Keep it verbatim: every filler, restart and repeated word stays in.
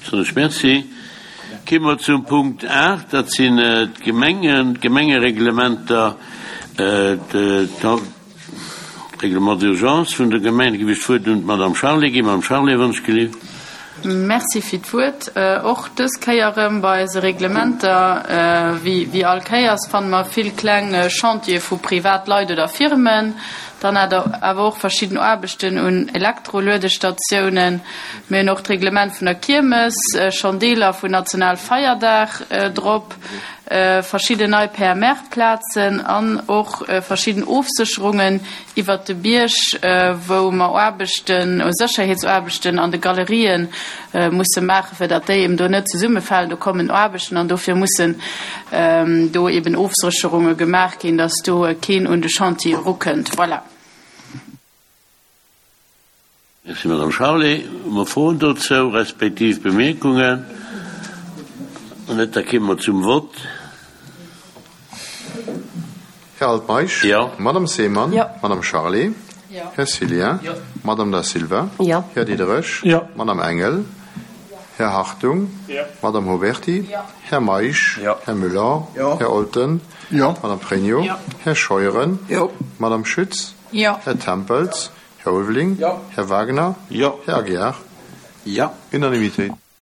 Soen ech Merci. Komme mer zum Punkt aacht, dat sinn d'Gemengen, d'Gemengereglementer, d'Règlement d'urgence vun der Gemeng. Da ginn ech d'Wuert un d'Madame Charlé ginn. Madame Charlé, wann ech gelift. Merci fir d'Wuert. Och dës Kéier erëm bei eise Reglementer, wéi all Kéiers, fanne mer vill kleng Chantiere vu Privatleit oder Firmen. Dann hat der awer och verschidden Aarbechten un Elektroluedestatiounen. Mir hunn och d'Reglement vun der Kiermes, schonn Deeler vun Nationalfeierdag drop, verschidden nei P M R-Plazen an och verschidden Ofsécherungen iwwert de Bierg, wou mer Aarbechten, Sécherheetsaarbechten an de Galerien musse maachen, fir datt déi eben do net zesummefalen. Do kommen Aarbechten an dofir mussen do eben Ofsécherunge gemaach ginn, datt do keen un de Chantier erukënnt. Voilà. Merci, Madame Charlé. Hu mer Froen dozou, respektiv Bemierkungen? Wann net, da komme mer zum Vott. Här Altmeisch? Jo. Madame Seemann? Jo. Madame Charlé? Jo. Här Cillien? Jo. Madame Da Silva? Jo. Här Diderich? Jo. Madame Engel? Här Hartung? Jo. Madame Huberty? Jo. Här Meisch? Jo. Här Müller? Jo. Här Olten? Jo. Madame Pregno? Jo. Här Scheuren? Jo. Madame Schütz? Jo. Här Tempels? Här Ulveling? Jo. Här Wagner? Jo. Här Aguiar? Jo. Unanimité.